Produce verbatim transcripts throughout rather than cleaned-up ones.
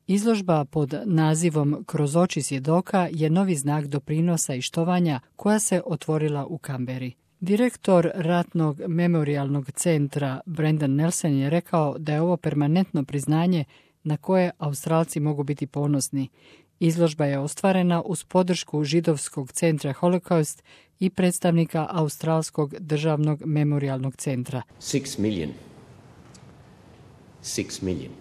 Izložba pod nazivom Kroz oči svjedoka je novi znak doprinosa i štovanja koja se otvorila u Kamberi. Direktor Ratnog memorijalnog centra Brendan Nelson je rekao da je ovo permanentno priznanje na koje Australci mogu biti ponosni. Izložba je ostvarena uz podršku Židovskog centra Holocaust i predstavnika Australskog državnog memorijalnog centra. Six million. Six million.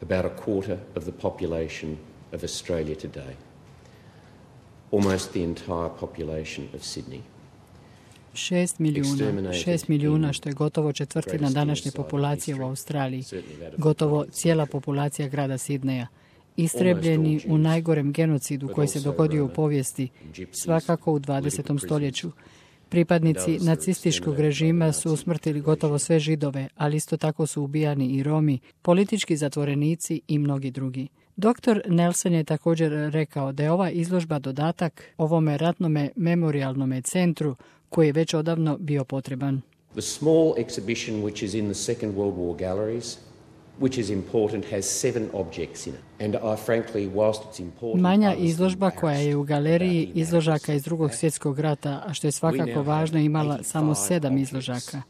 About a quarter of the population of Australia today. Almost the entire population of Sydney. Šest milijuna, šest milijuna, što je gotovo četvrtina današnje populacije u Australiji, gotovo cijela populacija grada Sidneja. Istrebljeni u najgorem genocidu koji se dogodio u povijesti, svakako u dvadesetom stoljeću. Pripadnici nacističkog režima su usmrtili gotovo sve Židove, ali isto tako su ubijani i Romi, politički zatvorenici i mnogi drugi. Doktor Nelson je također rekao da je ova izložba dodatak ovome ratnome memorijalnome centru koji je već odavno bio potreban. The small exhibition which is in the Second World War galleries, which is important, has seven objects in it. And I frankly, whilst it's important, manja izložba koja je u galeriji izložaka iz Drugog svjetskog rata, a što je svakako važno, imala samo sedam izložaka.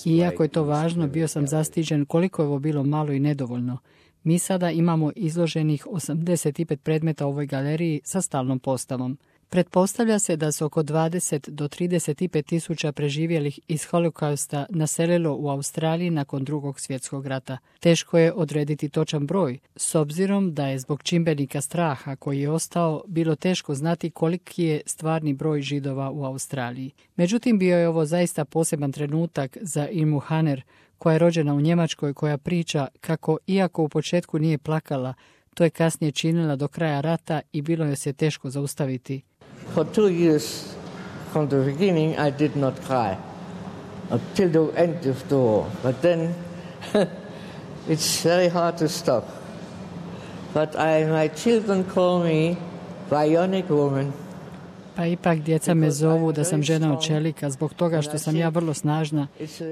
Iako je to važno, bio sam zastiđen koliko je ovo bilo malo i nedovoljno. Mi sada imamo izloženih osamdeset pet predmeta u ovoj galeriji sa stalnom postavom. Pretpostavlja se da se oko dvadeset do trideset pet tisuća preživjelih iz Holokausta naselilo u Australiji nakon Drugog svjetskog rata. Teško je odrediti točan broj, s obzirom da je zbog čimbenika straha koji je ostao bilo teško znati koliki je stvarni broj Židova u Australiji. Međutim, bio je ovo zaista poseban trenutak za Irmu Haner, koja je rođena u Njemačkoj, koja priča kako, iako u početku nije plakala, to je kasnije činila do kraja rata i bilo joj se teško zaustaviti. For two years from the beginning I did not cry until the end of the war. But then it's very hard to stop. But I, my children call me bionic woman. Pa ipak djeca me zovu da sam žena od čelika zbog toga što sam ja vrlo snažna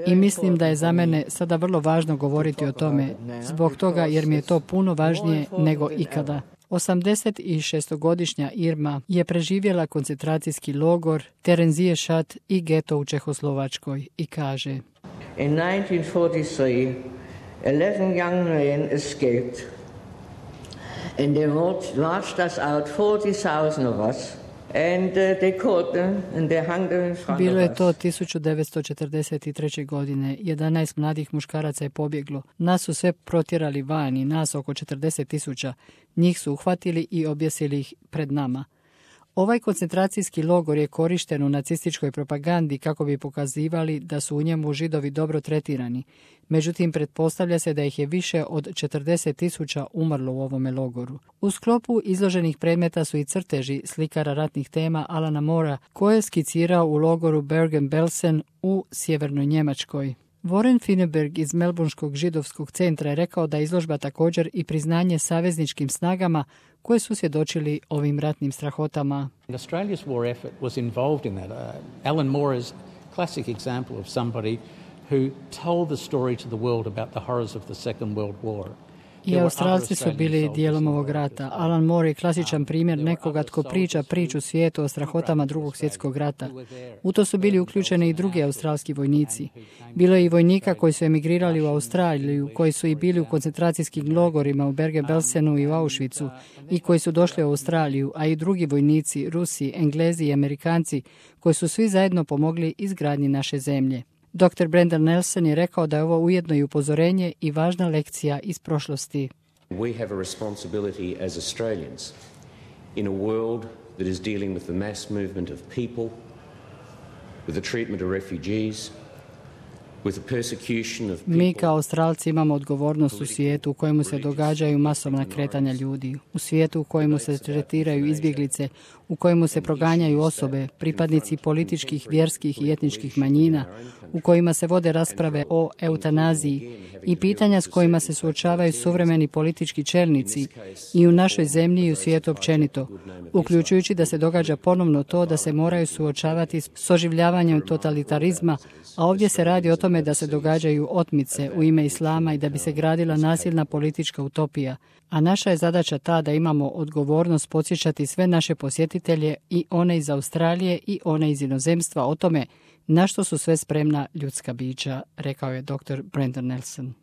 i mislim da je za mene sada vrlo važno govoriti o tome, zbog toga jer mi je to puno važnije nego ikada. osamdesetšestogodišnja Irma je preživjela koncentracijski logor, Tereziješat i geto u Čehoslovačkoj i kaže: In nineteen forty-three, eleven young men escaped and they marched us out, forty thousand of us. And uh, they caught them and they hung them in front of us. Bilo je to tisuću devetsto četrdeset treće. godine. jedanaest mladih muškaraca je pobjeglo. Nas su sve protjerali van i nas oko četrdeset tisuća. Njih su uhvatili i objesili ih pred nama. Ovaj koncentracijski logor je korišten u nacističkoj propagandi kako bi pokazivali da su u njemu Židovi dobro tretirani. Međutim, pretpostavlja se da ih je više od četrdeset tisuća umrlo u ovome logoru. U sklopu izloženih predmeta su i crteži slikara ratnih tema Alana Morea, koje je skicirao u logoru Bergen-Belsen u sjevernoj Njemačkoj. Warren Fineberg iz Melbourneskog židovskog centra je rekao da je izložba također i priznanje savezničkim snagama koje su svjedočili ovim ratnim strahotama. Australia's war effort was involved in that. Uh, Alan Moore is a classic example of somebody who told the story to the world about the horrors of the Second World War. I Australci su bili dijelom ovog rata. Alan Moore je klasičan primjer nekoga tko priča priču svijetu o strahotama Drugog svjetskog rata. U to su bili uključeni i drugi australski vojnici. Bilo je i vojnika koji su emigrirali u Australiju, koji su i bili u koncentracijskim logorima u Bergen-Belsenu i u Auschwitzu i koji su došli u Australiju, a i drugi vojnici, Rusi, Englezi i Amerikanci, koji su svi zajedno pomogli izgradnji naše zemlje. doktor Brendan Nelson je rekao da je ovo ujedno i upozorenje i važna lekcija iz prošlosti. We have a responsibility as Australians in a world that is dealing with the mass movement of people, with the treatment of refugees, with the persecution of people. Mi kao Australci imamo odgovornost u svijetu u kojemu se događaju masovna kretanja ljudi, u svijetu u kojemu se tretiraju izbjeglice, u kojemu se proganjaju osobe, pripadnici političkih, vjerskih i etničkih manjina, u kojima se vode rasprave o eutanaziji i pitanja s kojima se suočavaju suvremeni politički čelnici i u našoj zemlji i u svijetu općenito, uključujući da se događa ponovno to da se moraju suočavati s oživljavanjem totalitarizma, a ovdje se radi o tome tome da se događaju otmice u ime islama i da bi se gradila nasilna politička utopija, a naša je zadaća ta da imamo odgovornost podsjećati sve naše posjetitelje i one iz Australije i one iz inozemstva o tome na što su sve spremna ljudska bića, rekao je doktor Brendan Nelson.